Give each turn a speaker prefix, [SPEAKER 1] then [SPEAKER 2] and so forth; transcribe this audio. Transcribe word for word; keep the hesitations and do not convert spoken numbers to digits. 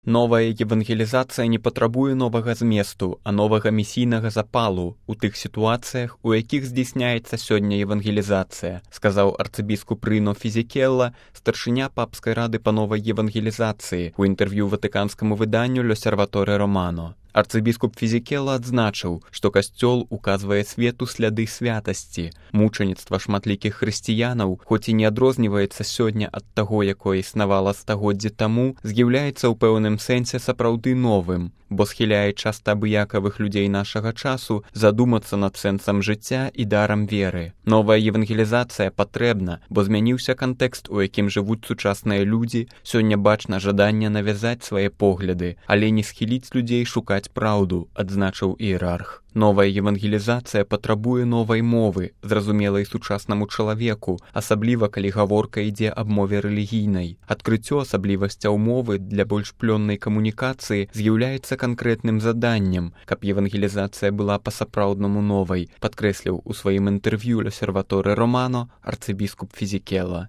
[SPEAKER 1] Новая евангелізацыя не патрабуе новага зместу, а новага місійнага запалу у тых сітуацыях, у якіх здзейсняецца сёння евангелізацыя, сказаў арцыбіскуп Рыно Фізікелла, старшыня папскай рады па новай евангелізацыі у інтэрв'ю ватыканскаму выданню «L'Osservatore Romano». Арцыбіскуп Фізікелла адзначыў, што касцёл указвае свету сляды святасці. Мучаніцтва шматлікіх хрысціянаў, хоць і не адрозніваецца сёння ад таго, якое існавала стагоддзі таму, з'яўляецца ў пэўным сэнсе сапраўды новым, бо схіляе часта абыякавых людзей нашага часу задумацца над сэнсам жыцця і дарам веры. Новая евангелізацыя патрэбна, бо змяніўся кантэкст, у якім жывуць сучасныя людзі, сёння бачна жаданне навязаць свае погляды, але не схіліць людзей шукаць праўду, адзначыў іерарх. Новая евангелізацыя патрабуе новай мовы, зразумелай сучаснаму чалавеку, асабліва калі гаворка ідзе аб мове рэлігійнай. Адкрыццё асаблівасцяў мовы для больш плённай камунікацыі з'яўляецца канкрэтным заданнем, каб евангелізацыя была па-сапраўднаму новай, падкрэсліў у сваім інтэрв'ю «L'Osservatore Romano» арцыбіскуп Фізікелла.